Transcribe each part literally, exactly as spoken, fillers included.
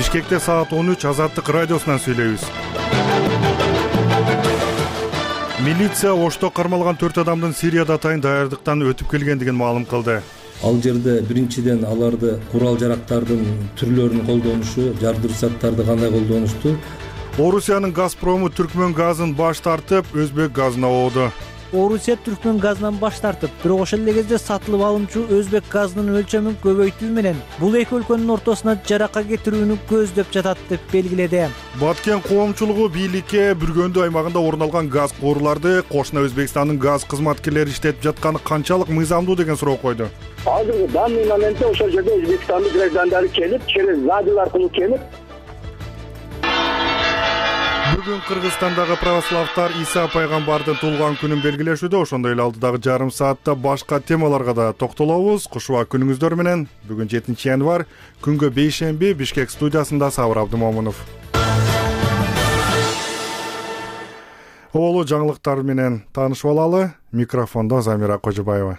Бишкекте саат он үч Азаттык радиосунан сүйлөйбүз. Милиция Ошто кармалган төрт адамдын Сирияда атайын даярдыктан өтүп келгендигин маалым кылды. Ал жерде биринчиден аларды курал жарактардын түрлөрүн колдонушу, жардыруучу заттарды кандай колдонушту. Орусиянын Газпрому Түркмөн газын баш тартып, Өзбек газына ооду. Орусия Түркмөн газынан баш тартып, бирок ошол эле кезде сатылып алынчу Өзбек газынын өлчөмүн көбөйтүү менен бул эки өлкөнүн ортосуна жарака кетирүүнү көздөп жатат деп белгиледи. Баткен коомчулугу бийликке Бүргөндү аймагында орун алган газ кууруларды кошуна Өзбекстандын газ кызматкерлери иштетип жатканы канчалык мыйзамдуу деген суроо койду. Азыркы данный моментте ошол жерде Өзбекстандын граждандары келип, через радио аркылуу келип, Бүгүн Кыргызстандагы православтар Иса пайгамбардын туулган күнүн белгилешүүдө, ошондой эле алдыдагы жарым саатта башка темаларга да токтолобуз. Кушуа күнүңүздөр менен. Бүгүн жетинчи январь, күнгө бейшемби, Бишкек студиясында Сабыр Абдымомунов. Оолу жаңылыктар менен таанышып алалы. Микрофондо Замира Кожубаева.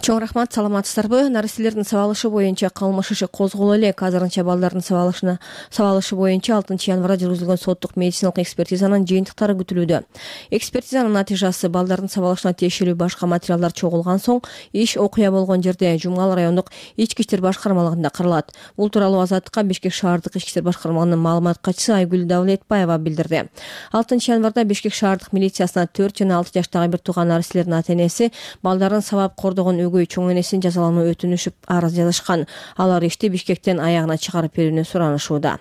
Чоң рахмат, саламатсыздарбы? Наристелердин сабалышы боюнча кылмыш иши козголо эле. Азырынча балдардын сабалышына сабалышы боюнча алтынчы январда жүргүзүлгөн соттук медициналык экспертизанын жыйынтыктары күтүлүүдө. Экспертизанын натыйжасы балдардын сабалышына тиешелүү башка материалдар чогулган соң иш окуя болгон жерде Жумгал райондук ички иштер башкармалыгында каралат. Бул тууралуу Азаттыкка Бишкек шаардык ички иштер башкармалыгынын маалымат катчысы Айгүл Давлетбаева билдирди. алтынчы январда Бишкек шаардык милициясына төрт жана алты жаштагы бир тууган наристелер ата-энеси балдарын сабап кордогон өгөй чоң энесин жазалануу өтүнүшүп арыз жазышкан. Алар ишти Бишкектен аягына чыгарып берүүнү суранышууда.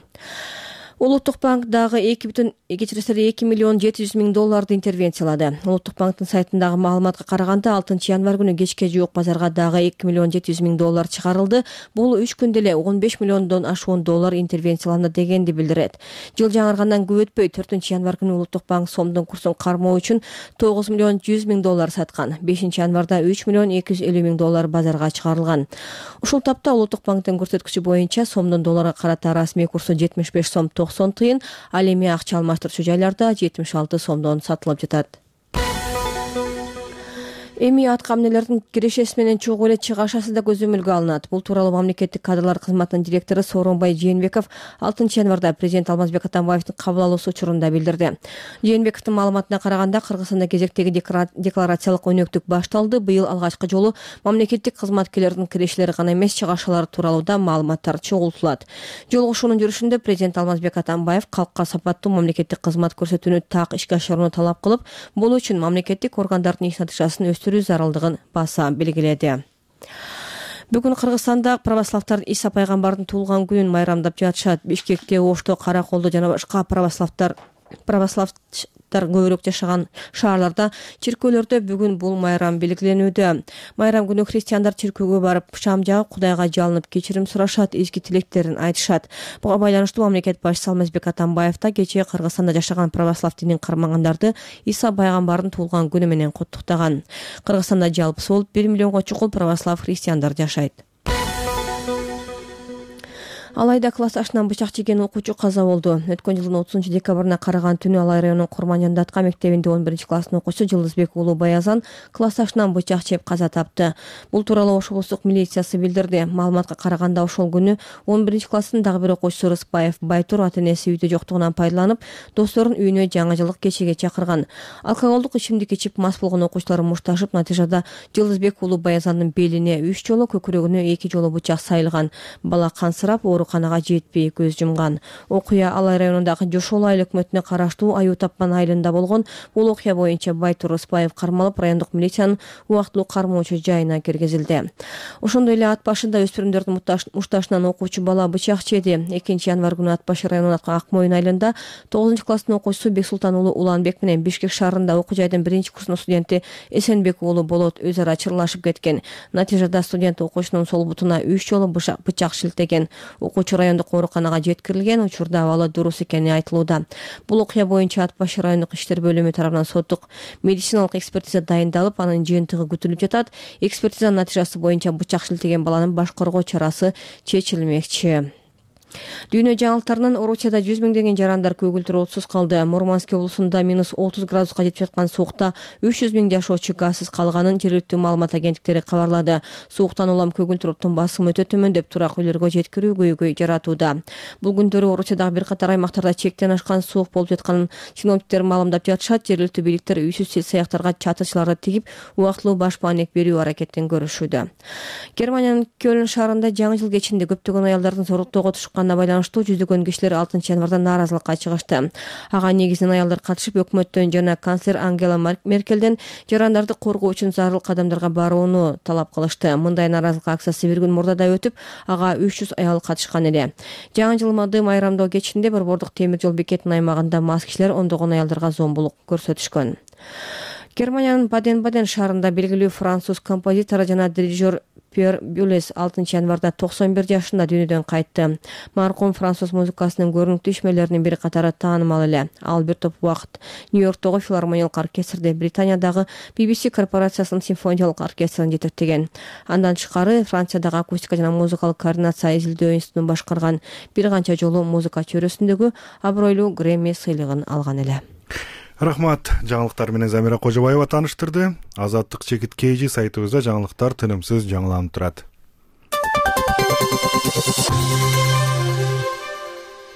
Улуттук банк дагы эки бүтүн эки миллион жети жүз миң долларды интервенциялады. Улуттук банктын сайтындагы маалыматка караганда алтынчы январь күнү кечке жуук базарга дагы эки миллион жети жүз миң доллар чыгарылды. Бул үч күндө эле он беш миллиондон ашуун доллар интервенцияланды дегенди билдирет. Жыл жаңыргандан көп өтпөй төртүнчү январь күнү Улуттук банк сомдун курсун кармоо үчүн тогуз миллион жүз миң доллар саткан. бешинчи январда үч миллион эки жүз элүү миң доллар базарга чыгарылган. Ушул тапта Улуттук банктын көрсөткүчү боюнча сомдун долларга карата расмий курсу жетимиш беш сом токсон тыйын, ал эми акча алмаштырчу жайларда жетимиш алты сомдон сатылып жатат. Эми атка эмнелердин кирешеси менен чогуу эле чыгашасы да көзөмөлгө алынат. Бул тууралуу мамлекеттик кадрлар кызматынын директору Сооронбай Жээнбеков алтынчы январда президент Алмазбек Атамбаевдин кабыл алуусу учурунда билдирди. Жээнбековдун маалыматына караганда, Кыргызстанда кезектеги декларациялык өнөктүк башталды. Быйыл алгачкы жолу мамлекеттик кызматкерлердин кирешелери гана эмес, чыгашалары тууралуу да маалыматтар чогултулат. Жолугушуунун жүрүшүндө президент Алмазбек Атамбаев калкка сапаттуу мамлекеттик кызмат көрсөтүүнү так ишке ашырууну талап кылып, бул үчүн мамлекеттик органдардын иш натыйжасын өстүрүү зарылдыгын баса белгиледи. Бүгүн Кыргызстанда православтар Иса пайгамбардын туулган күнүн майрамдап жатышат. Бишкекте, Ошто, Караколдо жана башка православтар православтар көбүрөөк жашаган шаарларда, чиркөөлөрдө бүгүн бул майрам белгиленүүдө. Майрам күнү христиандар чиркөөгө барып, шам жагып, Кудайга жалынып кечирим сурашат, изги тилектерин айтышат. Буга байланыштуу мамлекет башчысы Алмазбек Атамбаев да кечээ Кыргызстанда жашаган православ динин кармагандарды Иса пайгамбардын туулган күнү менен куттуктаган. Кыргызстанда жалпысы болуп бир миллионго чукул православ христиандар жашайт. Алайда класс ашынан бычак жеген окуучу каза болду. Өткөн жылдын отузунчу декабрына караган түнү Алай районунун Курманжан Датка мектебинде он биринчи класстын окуучусу Жылдызбек уулу Баязан класс ашынан бычак жеп каза тапты. Бул тууралуу Ош облустук милициясы билдирди. Маалыматка караганда, ошол күнү он биринчи класстын дагы бир окуучусу Рыспаев Байтур ата-энеси үйдө жоктугунан пайдаланып, досторун үйүнө жаңы жылдык кечеге чакырган. Алкоголдук ичимдик ичип мас болгон окуучулар мушташып, натыйжада Жылдызбек уулу Баязандын белине үч жолу, көкүрөгүнө эки жолу бычак сайылган. Бала кансырап, ооруканага жетпей көз жумган. Окуя Алай районундагы Жошол айыл өкмөтүнө караштуу Аю Тапкан айылында болгон. Бул окуя боюнча Байтур Рыспаев кармалып, райондук милициянын убактылуу кармоочу жайына киргизилди. Ошондой эле ат башында өспүрүмдөрдүн мушташынан окуучу бала бычак жеди. экинчи январь күнү ат башы районунун Ак Моюн айылында тогузунчу класстын окуучусу Бексултан уулу Уланбек менен Бишкек шаарында окуу жайдын биринчи курсунун студенти Эсенбек уулу Болот өз ара чырлашып кеткен. Натыйжада студент окуучунун сол бутуна үч жолу бычак шилтеген. Окуучу райондук ооруканага жеткирилген. Учурда абалы дурус экени айтылууда. Бул окуя боюнча ат башы райондук иштер бөлүмү тарабынан соттук медициналык экспертиза дайындалып, анын жыйынтыгы күтүлүп жатат. Экспертизанын натыйжасы боюнча бычак шилтеген баланын баш коргоо чарасы чечилмекчи. Дүйнө жаңылыктарынан Орусияда жүз миңдеген жарандар көгүлдүр отсуз калды. Мурманск облусунда минус отуз градуска жетип жаткан суукта үч жүз миң жашоочу газсыз калганын жергиликтүү маалымат агенттиктери кабарлады. Сууктан улам көгүлдүр оттун басымы өтө төмөндөп, турак үйлөргө жеткирүү көйгөй жаратууда. Бул күндөрү Орусиядагы бир катар аймактарда чектен ашкан суук болуп жатканын синоптиктер маалымдап жатышат. Жергиликтүү бийликтер үйсүз сыяктарга чатырчыларды тигип, убактылуу баш маанек берүү аракетин көрүшүүдө. Германиянын Кёлн шаарында жаңы жыл кечинде көптөгөн аялдардын зорлуктоого тушканына байланыштуу жүздөгөн кишилер алтынчы январда нааразылыкка чыгышты. Ага негизинен аялдар катышып, өкмөттөн жана канцлер Ангела Меркелден жарандарды коргоо үчүн зарыл кадамдарга барууну талап кылышты. Мындай нааразылык акциясы бир күн мурда да өтүп, ага үч жүз аял катышкан эле. Жаңы жылмады майрамдоо кечинде борбордук темир жол бекетинин аймагында мас кишилер ондогон аялдарга зомбулук көрсөтүшкөн. Германиянын Баден-Баден шаарында белгилүү француз композитор жана дирижер Пьер Бюлес алтынчы январда токсон бир жашында дүйнөдөн кайтты. Маркум француз музыкасынын көрүнүктүү ишмерлеринин бири катары таанымал эле. Ал бир топ убакыт Нью-Йорктогу филармониялык оркестрде, Британиядагы би би си корпорациясынын симфониялык оркестрин жетектеген. Андан тышкары Франциядагы акустика жана музыкалык координация изилдөө институтун башкарган, бир канча жолу музыка чөйрөсүндөгү абройлуу Грэмми сыйлыгын алган эле. Рахмат. Жаңылыктар менен Замира Кожобаева тааныштырды. Азаттык чекит кейжи сайтыбызда жаңылыктар тынымсыз жаңыланып турат.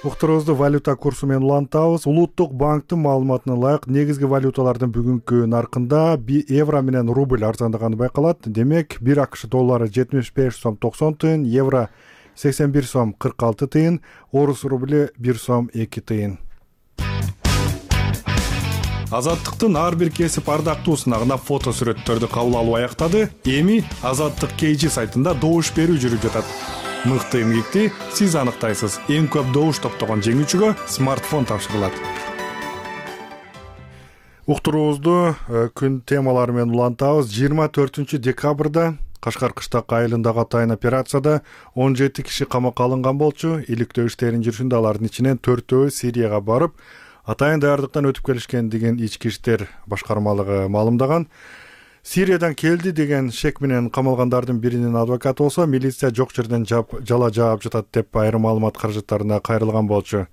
Уктуруубузду валюта курсу менен улантабыз. Улуттук банктын маалыматына ылайык негизги валюталардын бүгүнкү наркында евро менен рубль арзандаганы байкалат. Демек, бир АКШ доллары жетимиш беш сом токсон тыйын, евро сексен бир сом кырк алты тыйын, орус рубль бир сом эки тыйын. Азаттыктын ар бир кесип ардактуусуна гана фото сүрөттөрдү кабыл алуу аяктады. Эми Азаттык кейжи сайтында добуш берүү жүрүп жатат. Мыкты эмгекти сиз аныктайсыз. Эң көп добуш топтогон жеңүүчүгө смартфон тапшырылат. Уктуруубузду күн темалары менен улантабыз. жыйырма төртүнчү декабрда Кашкар кыштак айылындагы атайын операцияда он жети киши камакка алынган болчу. Иликтөө иштеринин жүрүшүндө алардын ичинен төртөө Сирияга барып, атайын даярдыктан өтүп келишкен деген ички иштер башкармалыгы маалымдаган. Сириядан келди деген шек менен камалгандардын биринин адвокаты болсо, милиция жок жерден жала жаап жатат деп айрым маалымат каражаттарына кайрылган болчу.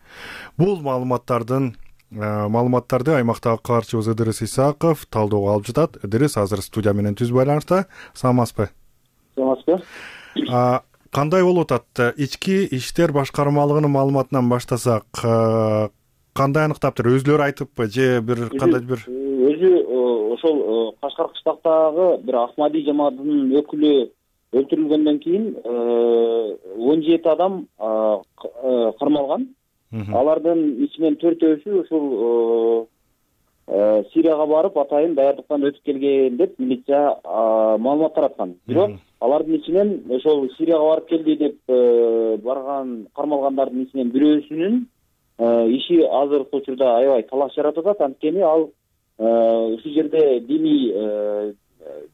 Бул маалыматтардын маалыматтарды аймактагы каарчыбыз Ыдырыс Исаков талоого алып жатат. Ыдырыс азыр студия менен түз байланышта. Саламатсызбы? Саламатсызбы. Кандай болуп атат? Ички иштер башкармалыгынын маалыматынан баштасак, кандай аныктаптыр? Өзлөрү айтыппы же бир кандай бир өзү ошол Кашкар кыштактагы бир Ахмади жамаатынын өкүлү өлтүрүлгөндөн кийин он жети адам кармалган. Алардын ичинен төртөөсү ушул Сирияга барып, атайын даярдыктан өтүп келген деп милиция маалымат тараткан. Бирок алардын ичинен ошол Сирияга барып келди деп барган кармалгандардын ичинен бирөөсүнүн иши азыркы учурда аябай талаш жаратып атат. Анткени ал ушул жерде диний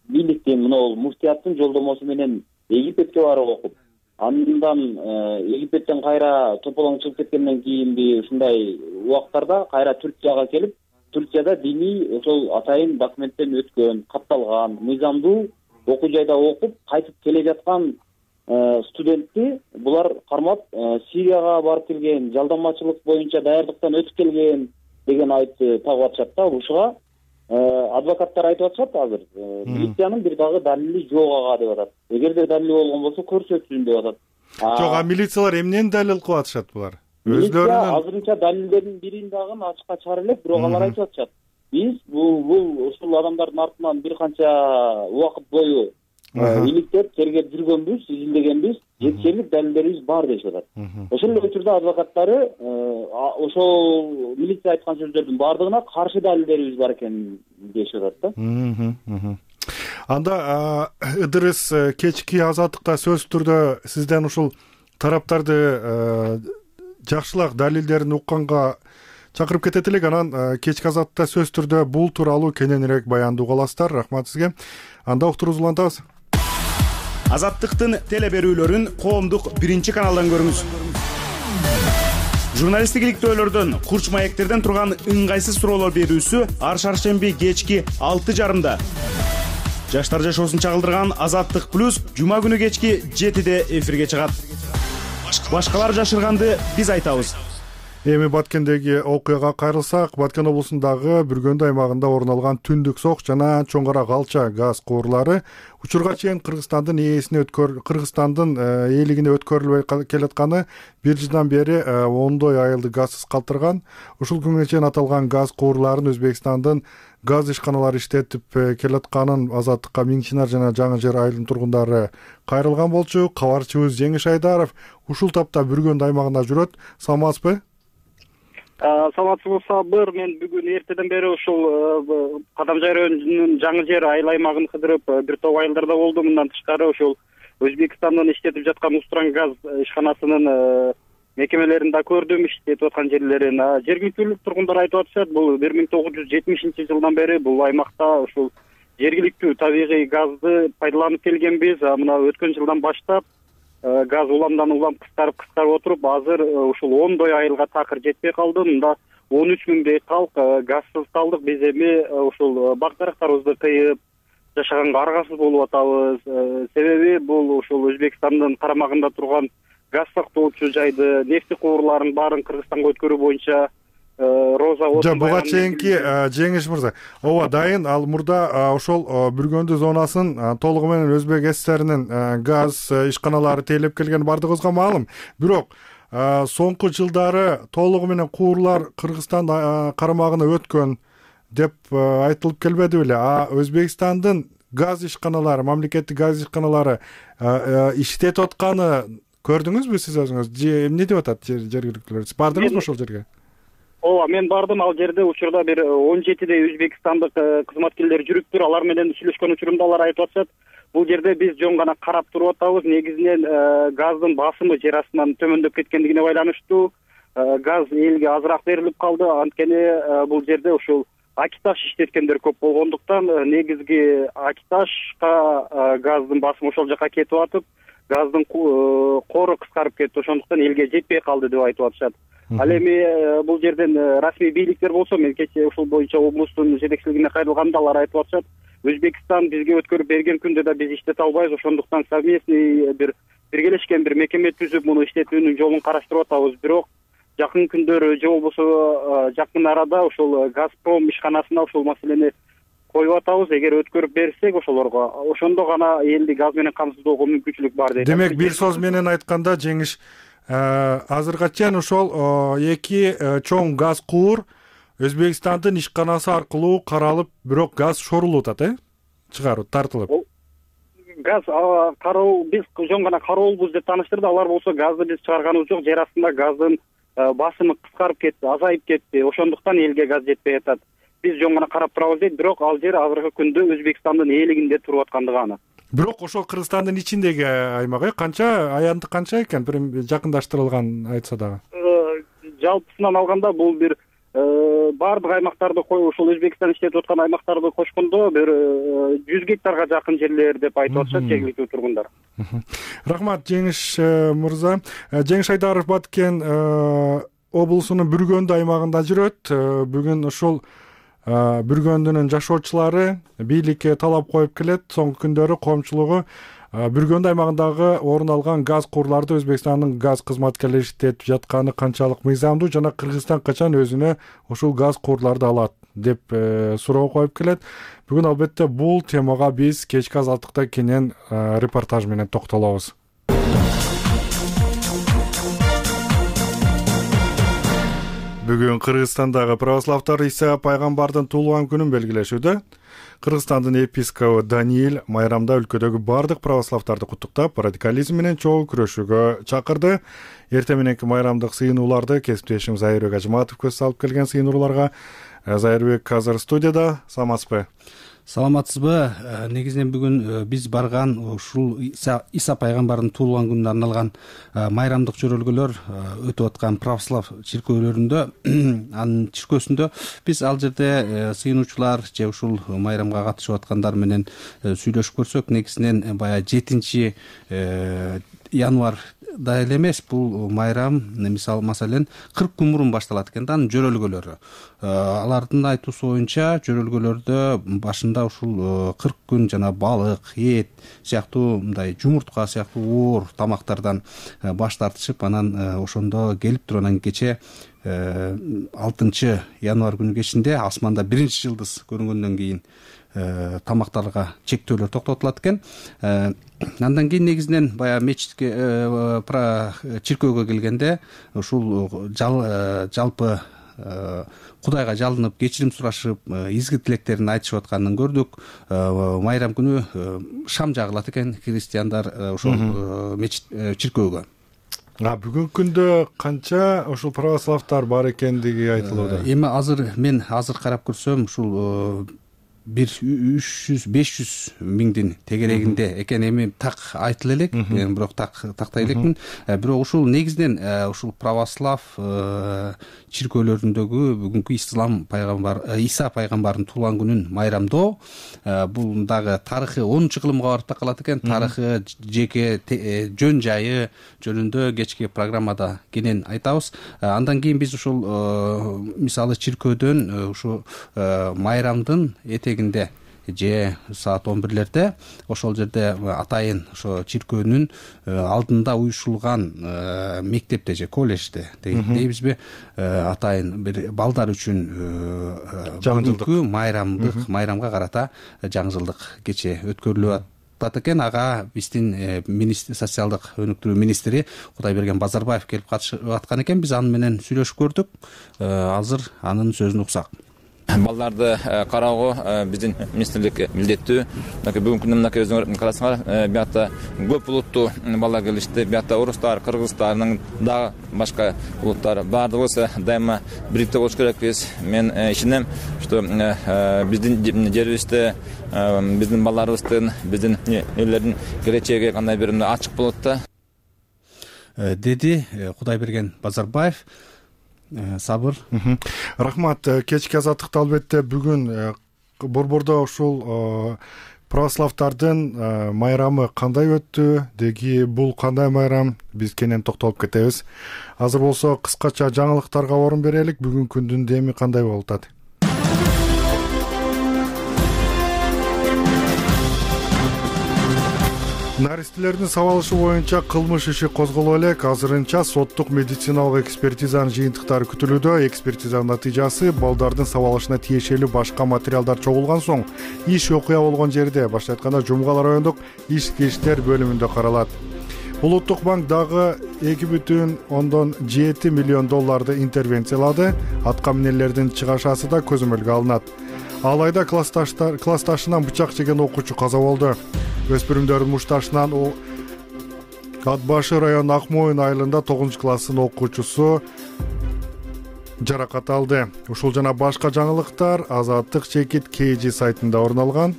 бийликтин, мына муфтияттын жолдомосу менен Египетке барып окуп, андан Египеттен кайра тополоң чыгып кеткенден кийинби ушундай убактарда кайра Түркияга келип, Түркияда диний ошол атайын документтен өткөн, катталган, мыйзамдуу окуу жайда окуп, кайтып келе жаткан студентти булар кармап, Сирияга барып келген, жалданмачылык боюнча даярдыктан өтүп келген деген айтты тагып атышат да. Ушуга адвокаттар айтып атышат азыр. Милициянын бир дагы далили жок ага деп атат. Эгерде далили болгон болсо көрсөтсүн деп атат. Жок, а милициялар эмнени далил кылып атышат булар? Өзлөрүнүн азырынча далилдердин бирин дагы ачыкка чыгара элек, бирок алар айтып атышат. Биз бул бул ушул адамдардын артынан бир канча убакыт бою иликтеп, тергеп жүргөнбүз, изилдегенбиз, жетишерлик далилдерибиз бар дешип атат. Ошол эле учурда адвокаттары ошол милиция айткан сөздөрдүн баардыгына каршы далилдерибиз бар экен дешип атат да. Анда Ыдырыс кечки Азаттыкта сөз түрдө сизден ушул тараптарды жакшылап далилдерин укканга чакырып кетет элек. Анан кечки Азаттыкта сөз түрдө бул тууралуу кененирээк баяндоо кыласыздар. Рахмат сизге. Анда уктуруубузду улантабыз. Азаттыктын теле берүүлөрүн коомдук биринчи каналдан көрүңүз. Журналисттик иликтөөлөрдөн, курч маектерден турган ыңгайсыз суроолор берүүсү ар шаршемби кечки алты жарымда. Жаштар жашоосун чагылдырган Азаттык плюс жума күнү кечки жетиде эфирге чыгат. башкалар жашырганды биз айтабыз. Эми Баткендеги окуяга кайрылсак, Баткен облусундагы Бүргөндү аймагында орун алган түндүк сок жана чоң кара калча газ куурлары учурга чейин Кыргызстандын ээсине өткөр Кыргызстандын ээлигине өткөрүлбөй келатканы бир жылдан бери ондой айылды газсыз калтырган. Ушул күнгө чейин аталган газ куурларын Өзбекстандын газ ишканалары иштетип келатканын Азаттыкка Миң Чынар жана Жаңы Жер айылынын тургундары кайрылган болчу. Кабарчыбыз Жеңиш Айдаров ушул тапта Бүргөндү аймагында жүрөт. Саламатсызбы? Саламатсызбы Сабыр, мен бүгүн эртеден бери ушул Кадамжай районунун Жаңы Жер айыл аймагын кыдырып, бир топ айылдарда болдум. Мындан тышкары ушул Өзбекстандын иштетип жаткан Устран газ ишканасынын мекемелерин да көрдүм, иштетип аткан жерлерин. Жергиликтүү тургундар айтып атышат, бул бир миң тогуз жүз жетимишинчи жылдан бери бул аймакта ушул жергиликтүү табигый газды пайдаланып келгенбиз. Мына өткөн жылдан баштап газ уламдан улам кыскарып кыскарып отуруп, азыр ушул ондой айылга такыр жетпей калды. Мында он үч миңдей калк газсыз калдык. Биз эми ушул бак дарактарыбызды кыйып жашаганга аргасыз болуп атабыз. Себеби бул ушул Өзбекстандын карамагында турган газ сактоочу жайды, нефти куурларын баарын Кыргызстанга өткөрүү буенча Роза Жа буга чейинки Жеңиш мырза, ооба дайын. Ал мурда ошол Бүргөндү зонасын толугу менен Өзбек ССРинин газ ишканалары тейлеп келгени бардыгыбызга маалым. Бирок соңку жылдары толугу менен куурлар Кыргызстан карамагына өткөн деп айтылып келбеди беле? А Өзбекстандын газ ишканалары, мамлекеттик газ ишканалары иштетип атканы көрдүңүзбү сиз өзүңүз? Эмне деп атат жергиликтүүлөр? Сиз бардыңызбы ошол жерге? Ооба, мен бардым. Ал жерде учурда бир он жетидей өзбекстандык кызматкерлер жүрүптүр. Алар менен сүйлөшкөн учурумда алар айтып атышат, бул жерде биз жөн гана карап туруп атабыз. Негизинен газдын басымы жер астынан төмөндөп кеткендигине байланыштуу газ элге азыраак берилип калды. Анткени бул жерде ушул Акиташ иштеткендер көп болгондуктан негизги Акиташка газдын басымы ошол жака кетип атып, газдын кору кыскарып кетти. Ошондуктан элге жетпей калды деп айтып атышат. Ал эми бул жерден расмий бийликтер болсо, мен кечээ ушул боюнча облустун жетекчилигине кайрылганда алар айтып атышат, Өзбекстан бизге өткөрүп берген күндө да биз иштете албайбыз. Ошондуктан совместный бир биргелешкен бир мекеме түзүп, муну иштетүүнүн жолун караштырып атабыз. Бирок жакын күндөрү же болбосо жакын арада ушул Газпром ишканасына ушул маселени коюп атабыз. Эгер өткөрүп берсек ошолорго, ошондо гана элди газ менен камсыздоого мүмкүнчүлүк бар дейт. Демек, бир сөз менен айтканда, Жеңиш, азыркыга чейин ошол эки чоң газ куур Өзбекстандын ишканасы аркылуу каралып, бирок газ шорулуп атат, э? Чыгарып, тартылып. Газ кароо, биз жөн гана кароолбуз деп тааныштырды. Алар болсо газды биз чыгарганыбыз жок, жер астында газдын басымы кыскарып кетти, азайып кетти. Ошондуктан элге газ жетпей атат. Биз жөн гана карап турабыз дейт, бирок ал жер азыркы күндө Өзбекстандын ээлигинде туруп аткандыгы аны. Бирок ошол Кыргызстандын ичиндеги аймак, э? Канча аянты канча экен? Бир жакындаштырылган айтса дагы. Жалпысынан алганда бул бир баардык аймактарды коюп, ушул Өзбекстан иштетип аткан аймактарды кошкондо бир жүз гектарга жакын жерлер деп айтып атышат жергиликтүү тургундар. Рахмат, Жеңиш мырза. Жеңиш Айдаров Баткен облусунун Бүргөндү аймагында жүрөт. Бүгүн ушул Бүргөндүнүн жашоочулары бийликке талап коюп келет. Соңку күндөрү коомчулугу Бүргөндү аймагындагы орун алган газ куурларды Өзбекстандын газ кызматкерлери иштетип жатканы канчалык мыйзамдуу жана Кыргызстан качан өзүнө ушул газ куурларды алат деп суроо коюп келет. Бүгүн албетте бул темага биз кечки Азаттыкта кенен репортаж менен токтолобуз. Бүгүн Кыргызстандагы православтар Иса пайгамбардын туулган күнүн белгилешүүдө. Кыргызстандын епископу Даниил майрамда өлкөдөгү бардык православтарды куттуктап, радикализм менен чогуу күрөшүүгө чакырды. Эртең мененки майрамдык сыйынууларды кесиптешим Зайырбек Ажматов көз салып келген сыйынууларга. Зайырбек азыр студияда. Саламатсызбы? Саламатсызбы? Негизинен бүгүн биз барган ушул Иса пайгамбардын туулган күнүнө арналган майрамдык жөрөлгөлөр өтүп аткан православ чиркөөлөрүндө, анын чиркөөсүндө биз ал жерде сыйынуучулар же ушул майрамга катышып аткандар менен сүйлөшүп көрсөк, негизинен баягы жетинчи январь да эле эмес, бул майрам мисалы маселен кырк күн мурун башталат экен да анын жөрөлгөлөрү. Алардын айтуусу боюнча жөрөлгөлөрдө башында ушул кырк күн жана балык, эт сыяктуу мындай жумуртка сыяктуу оор тамактардан баш тартышып, анан ошондо келип туруп анан кече алтынчы январь күнү кечинде асманда биринчи жылдыз көрүнгөндөн кийин тамактарга чектөөлөр токтотулат экен. Андан кийин негизинен баягы мечитке чиркөөгө келгенде ушул жалпы Кудайга жалынып, кечирим сурашып, изги тилектерин айтышып атканын көрдүк. Майрам күнү шам жагылат экен христиандар ошол мечит чиркөөгө. А бүгүнкү күндө канча ушул православтар бар экендиги айтылууда. Эми азыр мен азыр карап көрсөм ушул бир үч жүз беш жүз миңдин тегерегинде экен. Эми так айтыла элек, бирок так тактай элекмин. Бирок ушул негизинен ушул православ чиркөөлөрүндөгү бүгүнкү ислам пайгамбар Иса пайгамбардын туулган күнүн майрамдоо бул дагы тарыхы онунчу кылымга барып такалат экен. Тарыхы, жеке жөн жайы жөнүндө кечки программада кенен айтабыз. Андан кийин биз ушул мисалы чиркөөдөн ушу майрамдын этегинде же саат он бирлерде ошол жерде атайын ошо чиркөөнүн алдында уюшулган мектепте же колледжде дейбизби атайын бир балдар үчүн бүгүнкү майрамдык майрамга карата жаңы жылдык кече өткөрүлүп атат экен. Ага биздин социалдык өнүктүрүү министри Кудайберген Базарбаев келип катышып аткан экен. Биз аны менен сүйлөшүп көрдүк. Азыр анын сөзүн уксак. Балдарды кароого биздин министрлик милдеттүү. Бүгүнкү күндө мынакей өзүңөр карасаңар, биякта көп улуттуу балдар келишти. Биякта орустар, кыргызстардын дагы башка улуттар баардыгыбыз дайыма бириктүү болуш керекпиз. Мен ишенем, что биздин жерибизде биздин балдарыбыздын, биздин элдердин келечеги кандай бир ачык болот да, деди Кудайберген Базарбаев. Сабыр. Рахмат. Кечки азаттыкта албетте бүгүн Борбордо ушул православтардын майрамы кандай өттү, деги бул кандай майрам, биз кенен токтолуп кетебиз. Азыр болсо кыскача жаңылыктарга орун берелик. Бүгүнкү күндүн деми кандай болуп атат? Наристелердин сабалышы боюнча кылмыш иши козголо элек. Азырынча соттук медициналык экспертизанын жыйынтыктары күтүлүүдө. Экспертизанын натыйжасы балдардын сабалышына тиешелүү башка материалдар чогулган соң иш окуя болгон жерде, башка айтканда Жумгал райондук ички иштер бөлүмүндө каралат. Улуттук банк дагы эки бүтүн ондон жети миллион долларды интервенциялады. Атка минелердин чыгашасы да көзөмөлгө алынат. Алайда классташынан бычак жеген окуучу каза болду. Өспүрүмдөрдүн мушташынан Ат башы район Акмоюн айылында тогузунчу класстын окуучусу жаракат алды. Ушул жана башка жаңылыктар Азаттык чекит кей жи сайтында орун алган.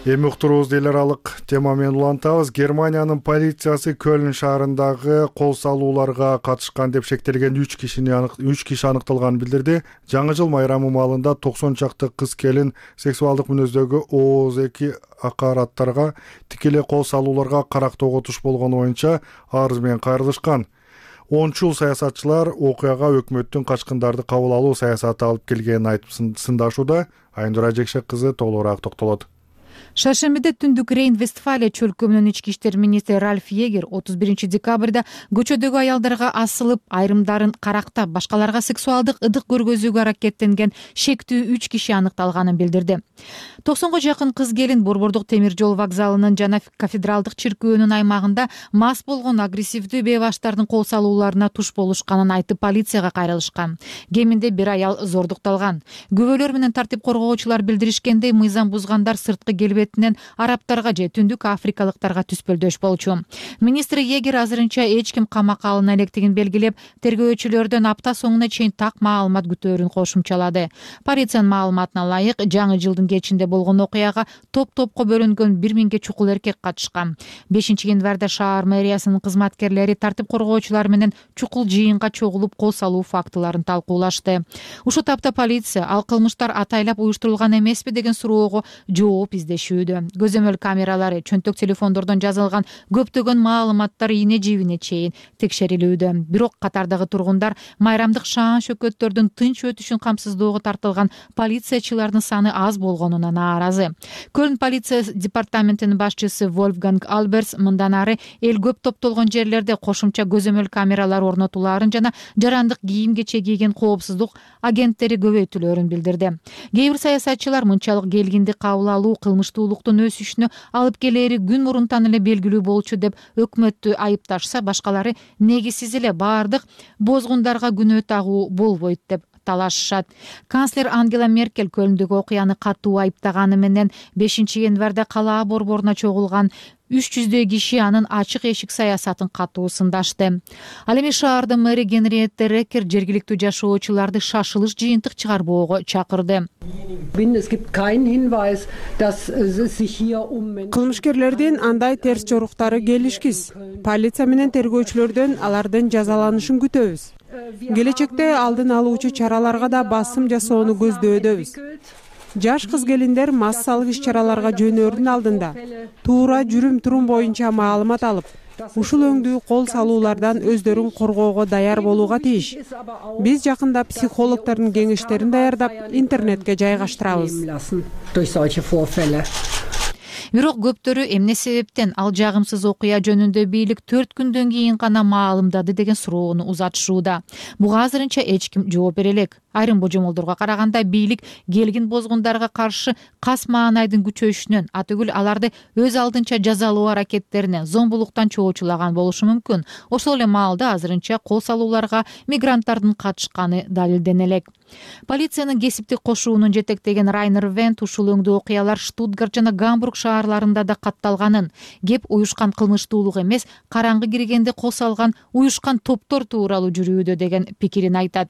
Эми уктуруубузду эл аралык тема менен улантабыз. Германиянын полициясы Көлн шаарындагы кол салууларга катышкан деп шектелген үч кишини үч киши аныкталганын билдирди. Жаңы жыл майрамы маалында токсон чакты кыз келин сексуалдык мүнөздөгү ооз эки акараттарга тикелей кол салууларга карактоого туш болгону боюнча арыз менен кайрылышкан. Ончул саясатчылар окуяга өкмөттүн качкындарды кабыл алуу саясаты алып келгенин айтып сындашууда. Айнура Жекшек кызы толугураак токтолот. Шаршембиде түндүк Рейн-Вестфалия чөлкөмүнүн ички иштер министри Ральф Егер отуз биринчи декабрда көчөдөгү аялдарга асылып, айрымдарын карактап, башкаларга сексуалдык ыдык көргөзүүгө аракеттенген шектүү үч киши аныкталганын билдирди. токсонго жакын кыз келин Борбордук темир жол вокзалынын жана кафедралдык чиркөөнүн аймагында мас болгон агрессивдүү бейбаштардын кол салууларына туш болушканын айтып полицияга кайрылышкан. Кеминде бир аял зордукталган. Күбөлөр менен тартип коргоочулар билдиришкендей, мыйзам бузгандар сырткы келбетинен арабтарга же түндүк африкалыктарга түспөлдөш болчу. Министр Егер азырынча эч ким камакка алына электигин белгилеп, тергөөчүлөрдөн апта соңуна чейин так маалымат күтөөрүн кошумчалады. Полициянын маалыматына ылайык, жаңы жылдын кечинде болгон окуяга топ-топко бөлүнгөн бир миңге чукул эркек катышкан. бешинчи январда шаар мэриясынын кызматкерлери тартип коргоочулар менен чукул жыйынга чогулуп кол салуу фактыларын талкуулашты. Ушул тапта полиция ал кылмыштар атайлап уюштурулган эмеспи деген суроого жооп издешүүдө. жүргүзүлүшүүдө. Көзөмөл камералары, чөнтөк телефондордон жазылган көптөгөн маалыматтар ийне жибине чейин текшерилүүдө. Бирок катардагы тургундар майрамдык шаан шөкөттөрдүн тынч өтүшүн камсыздоого тартылган полициячылардын саны аз болгонуна нааразы. Көлн полиция департаментинин башчысы Вольфганг Альберс мындан ары эл көп топтолгон жерлерде кошумча көзөмөл камералар орнотулаарын жана жарандык кийим кече кийген коопсуздук агенттери көбөйтүлөөрүн билдирди. Кээ бир саясатчылар мынчалык келгинди кабыл алуу кылмыштуулуктун өсүшүнө алып келери күн мурунтан эле белгилүү болчу деп өкмөттү айыпташса, башкалары негизсиз эле баардык бозгундарга күнөө тагуу болбойт деп талашышат. Канцлер Ангела Меркель Көлндөгү окуяны катуу айыптаганы менен бешинчи январда калаа борборуна чогулган үч жүздөй киши анын ачык эшик саясатын катуу сындашты. Ал эми шаардын мэри Генриетте Рекер жергиликтүү жашоочуларды шашылыш жыйынтык чыгарбоого чакырды. Кылмышкерлердин андай терс жоруктары келишкиз. Полиция менен тергөөчүлөрдөн алардын жазаланышын күтөбүз. Келечекте алдын алуучу чараларга да басым жасоону көздөбүз. Жаш кыз-келиндер массалык иш-чараларга жөнөөрдүн алдында туура жүрүм-турум боюнча маалымат алып, ушул өңдүү кол салуулардан өздөрүн коргоого даяр болууга тийиш. Биз жакында психологдордун кеңештерин даярдап, интернетке жайгаштырабыз. Бирок көптөрү эмне себептен ал жагымсыз окуя жөнүндө бийлик төрт күндөн кийин гана маалымдады деген суроону узатышууда. Буга азырынча эч ким жооп бере элек. Айрым божомолдорго караганда бийлик келгин бозгундарга каршы кас маанайдын күчөйүшүнөн, атүгүл аларды өз алдынча жазалоо аракеттерине, зомбулуктан чоочулаган болушу мүмкүн. Ошол эле маалда азырынча кол салууларга мигранттардын катышканы далилдене элек. Полициянын кесиптик кошуунун жетектеген Райнер Вент ушул өңдүү окуялар Штутгарт жана Гамбург шаарларында да катталганын, кеп уюшкан кылмыштуулук эмес, караңгы киргенде кол салган уюшкан топтор тууралуу жүрүүдө деген пикирин айтат.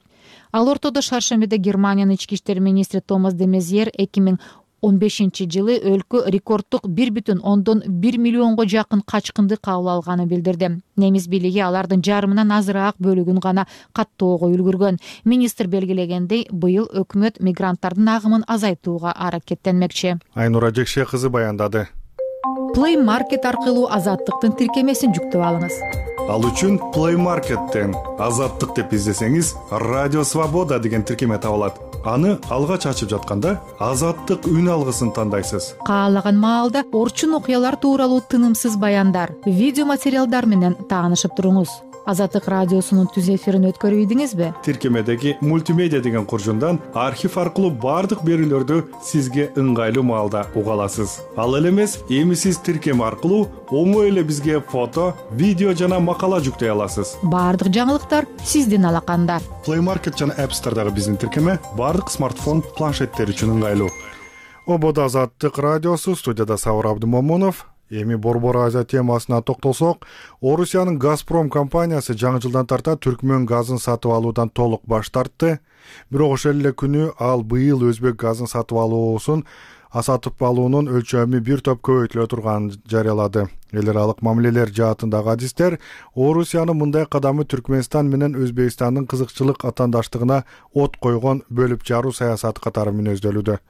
Ал ортодо шаршембиде Германиянын ички иштер министри Томас де Мезьер эки миң он бешинчи жылы өлкө рекорддук бир бүтүн ондон бир миллионго жакын качкынды кабыл алганын билдирди. Немис бийлиги алардын жарымынан азыраак бөлүгүн гана каттоого үлгүргөн. Министр белгилегендей, быйыл өкмөт мигранттардын агымын азайтууга аракеттенмекчи. Айнура Жекше кызы баяндады. Play Market аркылуу Азаттыктын тиркемесин жүктөп алыңыз. Ал үчүн Play Market'тен Азаттык деп издесеңиз, Радио Свобода деген тиркеме табылат. Аны алгач ачып жатканда Азаттык үн алгысын тандайсыз. Каалаган маалда орчун окуялар тууралуу тынымсыз баяндар, видео материалдар менен таанышып туруңуз. Азаттык радиосунун түз эфирин өткөрүп ийдиңизби? Тиркемедеги мультимедиа деген куржундан архив аркылуу бардык берүүлөрдү сизге ыңгайлуу маалда уга аласыз. Ал эле эмес, эми сиз тиркеме аркылуу оңой эле бизге фото, видео жана макала жүктөй аласыз. Бардык жаңылыктар сиздин алаканда. Play Market жана App Store'дагы биздин тиркеме бардык смартфон, планшеттер үчүн ыңгайлуу. Ободо Азаттык радиосу, студияда Сауыр Абдымомунов. Эми Борбор Азия темасына токтолсок, Орусиянын Газпром компаниясы жаңы жылдан тарта Түркмөн газын сатып алуудан толук баш тартты. Бирок ошол эле күнү ал быйыл өзбек газын сатып алуусун сатып алуунун өлчөмү бир топ көбөйтүлө турганын жарыялады. Эл аралык мамилелер жаатындагы адистер Орусиянын мындай кадамы Түркмөнстан менен Өзбекстандын кызыкчылык атаандаштыгына от койгон бөлүп жаруу саясаты катары мүнөздөлүүдө.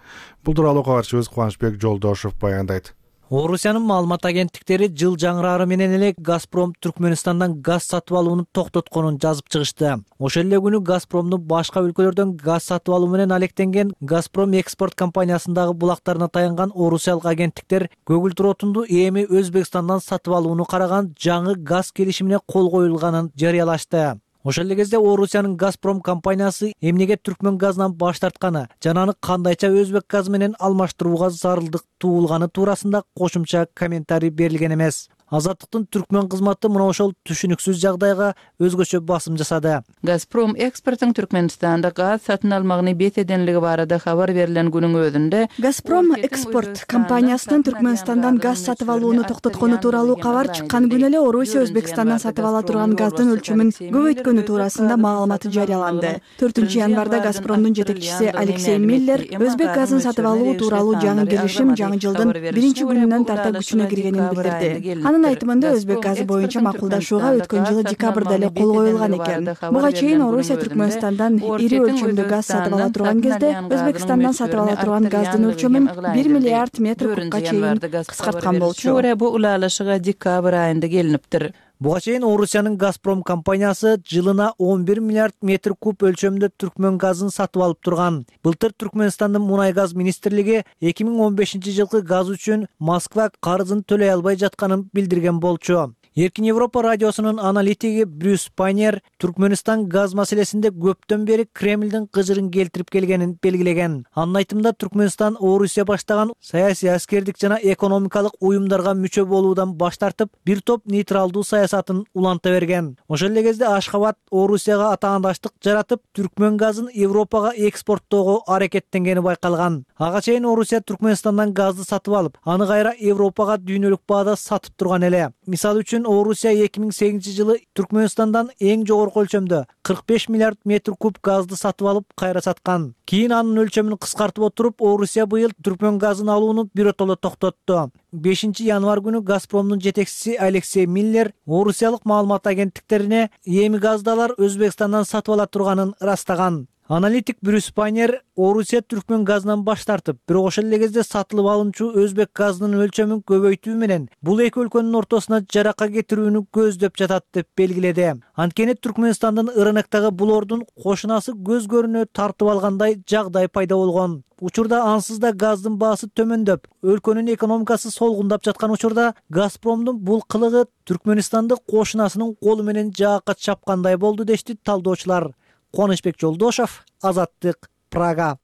Бул тууралуу кабарчыбыз Кубанычбек Жолдошов баяндайт. Орусиянын маалымат агенттиктери жыл жаңырары менен эле Газпром Түркмөнстандан газ сатып алууну токтотконун жазып чыгышты. Ошол эле күнү Газпромдун башка өлкөлөрдөн газ сатып алуу менен алектенген Газпром экспорт компаниясындагы булактарына таянган орусиялык агенттиктер көгүлтүр отунду эми Өзбекстандан сатып алууну караган жаңы газ келишимине кол коюлганын жарыялашты. Ошол эле кезде Орусиянын Газпром компаниясы эмнеге Түркмөн газынан баш тартканы жана аны кандайча өзбек газы менен алмаштырууга зарылдык туулганы туурасында кошумча комментарий берилген эмес. Азаттыктын Түркмөн кызматы мына ошол түшүнүксүз жагдайга өзгөчө басым жасады. Газпром экспорттун Түркмөнстанда газ сатын алмагыны бет эденлиги барыда кабар берилген күнүн өзүндө Газпром экспорт компаниясынын Түркмөнстандан газ сатып алууну токтоткону тууралуу кабар чыккан күнү эле Орусия Өзбекстандан сатып ала турган газдын өлчөмүн көбөйткөнү туурасында маалымат жарыяланды. төртүнчү январда Газпромдун жетекчиси Алексей Миллер өзбек газын сатып алуу тууралуу жаңы келишим жаңы жылдын биринчи күнүнөн тарта күчүнө киргенин билдирди. Анын айтымында өзбек газы боюнча макулдашууга өткөн жылы декабрда эле кол коюлган экен. Буга чейин Орусия Түркмөнстандан ири өлчөмдө газ сатып ала турган кезде Өзбекстандан сатып ала турган газдын өлчөмүн бир миллиард метр кубка чейин кыскарткан болчу. Бу улалышыга декабрь айында келиниптир. Буга чейин Орусиянын Газпром компаниясы жылына он бир миллиард метр куб өлчөмдө түркмөн газын сатып алып турган. Былтыр Түркмөнстандын мунай газ министрлиги эки миң он бешинчи жылкы газ үчүн Москва карызын төлөй албай жатканын билдирген болчу. Эркин Европа радиосунун аналитиги Брюс Пайнер Түркмөнстан газ маселесинде көптөн бери Кремлдин кыжырын келтирип келгенин белгилеген. Анын айтымында Түркмөнстан Орусия баштаган саясий, аскердик жана экономикалык уюмдарга мүчө болуудан баш тартып, бир топ нейтралдуу саясатын уланта берген. Ошол эле кезде Ашхабад Орусияга атаандаштык жаратып, түркмөн газын Европага экспорттоого аракеттенгени байкалган. Ага чейин Орусия Түркмөнстандан газды сатып алып, аны кайра Европага дүйнөлүк баада сатып турган эле. Мисалы үчүн Орусия эки миң сегизинчи жылы Түркмөнстандан эң жогорку өлчөмдө кырк беш миллиард метр куб газды сатып алып кайра саткан. Кийин анын өлчөмүн кыскартып отуруп, Орусия быйыл түркмөн газын алууну биротоло токтотту. бешинчи январь күнү Газпромдун жетекчиси Алексей Миллер Орусиялык маалымат агенттиктерине эми газды алар Өзбекстандан сатып ала турганын ырастаган. Аналитик Брюс Пайнер Орусия түркмөн газынан баш тартып, бирок ошол эле кезде сатылып алынчу өзбек газынын өлчөмүн көбөйтүү менен бул эки өлкөнүн ортосуна жарака кетирүүнү көздөп жатат деп белгиледи. Анткени Түркмөнстандын рыноктогу булордун кошунасы көз көрүнө тартып алгандай жагдай пайда болгон. Учурда ансыз да газдын баасы төмөндөп, өлкөнүн экономикасы солгундап жаткан учурда Газпромдун бул кылыгы Түркмөнстанды кошунасынын колу менен жаакка чапкандай болду дешти талдоочулар. Кубанычбек Жолдошов, Азаттык, Прага.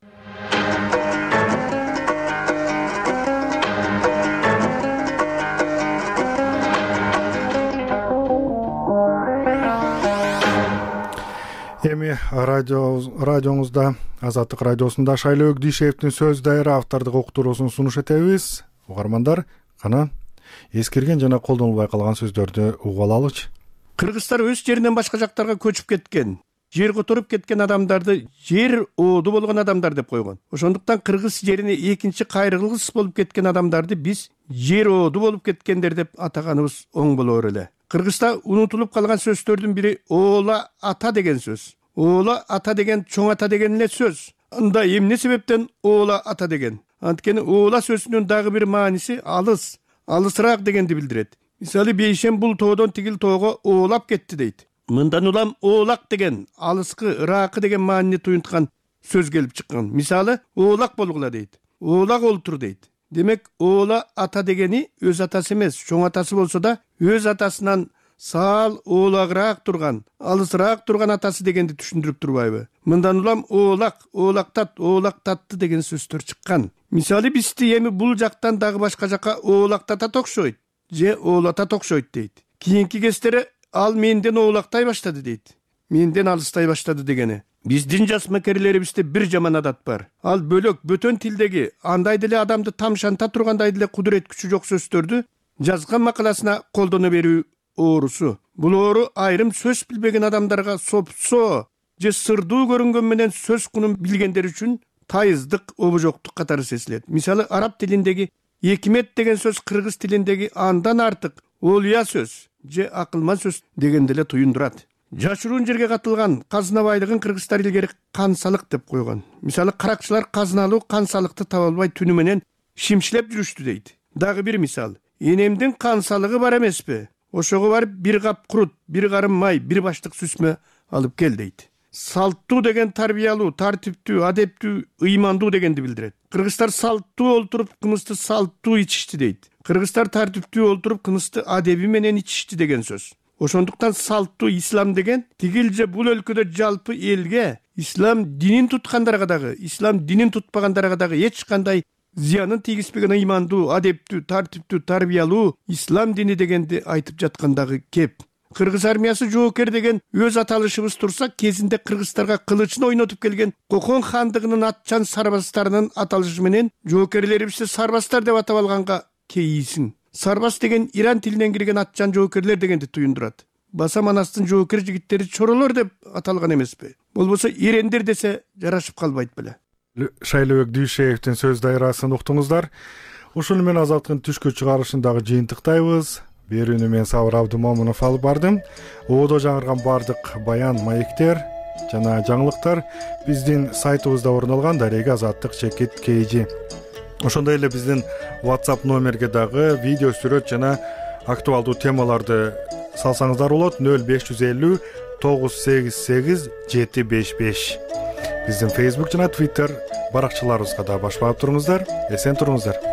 Эми радиоңузда, Азаттык радиосунда Шайлоо Өкдишевдин сөз дайыры автордук уктуруусун сунуш этебиз. Угармандар, кана эскерген жана колдонулбай калган сөздөрдү угуп алалычы. Кыргызстар өз жеринен башка жактарга көчүп кеткен, жер которуп кеткен адамдарды жер ооду болгон адамдар деп койгон. Ошондуктан кыргыз жерине экинчи кайрылгыс болуп кеткен адамдарды биз жер ооду болуп кеткендер деп атаганыбыз оң болор эле. Кыргызда унутулуп калган сөздөрдүн бири оола ата деген сөз. Оола ата деген чоң ата деген эле сөз. Анда эмне себептен оола ата деген? Анткени оола сөзүнүн дагы бир мааниси алыс, алысыраак дегенди билдирет. Мисалы Бейшем бул тоодон тигил тоого оолап кетти дейт. Мындан улам оолак деген алыскы, ыракы деген маанини туюнткан сөз келип чыккан. Мисалы оолак болгула дейт. Оолак олтур дейт. Демек оола ата дегени өз атасы эмес, чоң атасы болсо да өз атасынан саал оолагыраак турган, алысыраак турган атасы дегенди түшүндүрүп турбайбы? Мындан улам оолак, оолактат, оолактатты деген сөздөр чыккан. Мисалы бизди эми бул жактан дагы башка жакка оолактатат окшойт, же оолатат окшойт дейт. Кийинки кездери ал менден оолактай баштады дейт. Менден алыстай баштады дегени. Биздин жас мекерлерибизде бир жаман адат бар. Ал бөлөк бөтөн тилдеги андай деле адамды тамшанта тургандай деле кудурет күчү жок сөздөрдү жазган макаласына колдоно берүү оорусу. Бул оору айрым сөз билбеген адамдарга сопсо же сырдуу көрүнгөн менен сөз кунун билгендер үчүн тайыздык, обожоктук катары сезилет. Мисалы араб тилиндеги экимет деген сөз кыргыз тилиндеги андан артык олуя сөз же акылман сөз дегенди эле туюндурат. Жашыруун жерге катылган казына байлыгын кыргыздар илгери кансалык деп койгон. Мисалы каракчылар казыналуу кансалыкты таба албай түнү менен шимшилеп жүрүштү дейт. Дагы бир мисал. Энемдин кансалыгы бар эмеспи? Ошого барып бир кап курут, бир карым май, бир баштык сүзмө алып кел дейт. Салттуу деген тарбиялуу, тартиптүү, адептүү, ыймандуу дегенди билдирет. Кыргыздар салттуу олтуруп кымызды салттуу ичишти дейт. Кыргыздар тартиптүү олтуруп кымызды адеби менен ичишти деген сөз. Ошондуктан салттуу ислам деген тигил же бул өлкөдө жалпы элге, ислам динин туткандарга дагы, ислам динин тутпагандарга дагы эч кандай зыянын тийгизбеген ыймандуу, адептүү, тартиптүү, тарбиялуу ислам дини дегенди айтып жаткандагы кеп. Кыргыз армиясы жоокер деген өз аталышыбыз турса, кезинде кыргыздарга кылычын ойнотуп келген Кокон хандыгынын атчан сарбаздарынын аталышы менен жоокерлерибизди сарбаздар деп атап алганга кейисиң. Сарбаз деген Иран тилинен кирген атчан жоокерлер дегенди туюндурат. Баса Манастын жоокер жигиттери чоролор деп аталган эмеспи? Болбосо ирендер десе жарашып калбайт беле. Шайлоо Өкдишевдин сөз дайырасын уктуңуздар. Ушул менен Азаттыктын түшкү чыгарышындагы жыйынтыктайбыз. берүүнү мен Сабыр Абдымомунов алып бардым. Оодо жаңырган бардык баян, маектер жана жаңылыктар биздин сайтыбызда орун алган. Дарега азаттык чекит kg. Ошондой эле биздин WhatsApp номерге дагы видео, сүрөт жана актуалдуу темаларды салсаңыздар болот. нөл беш жүз элүү тогуз сегиз сегиз жети беш беш. Биздин Facebook жана Twitter баракчаларыбызга да баш баап туруңуздар. Эсен туруңуздар.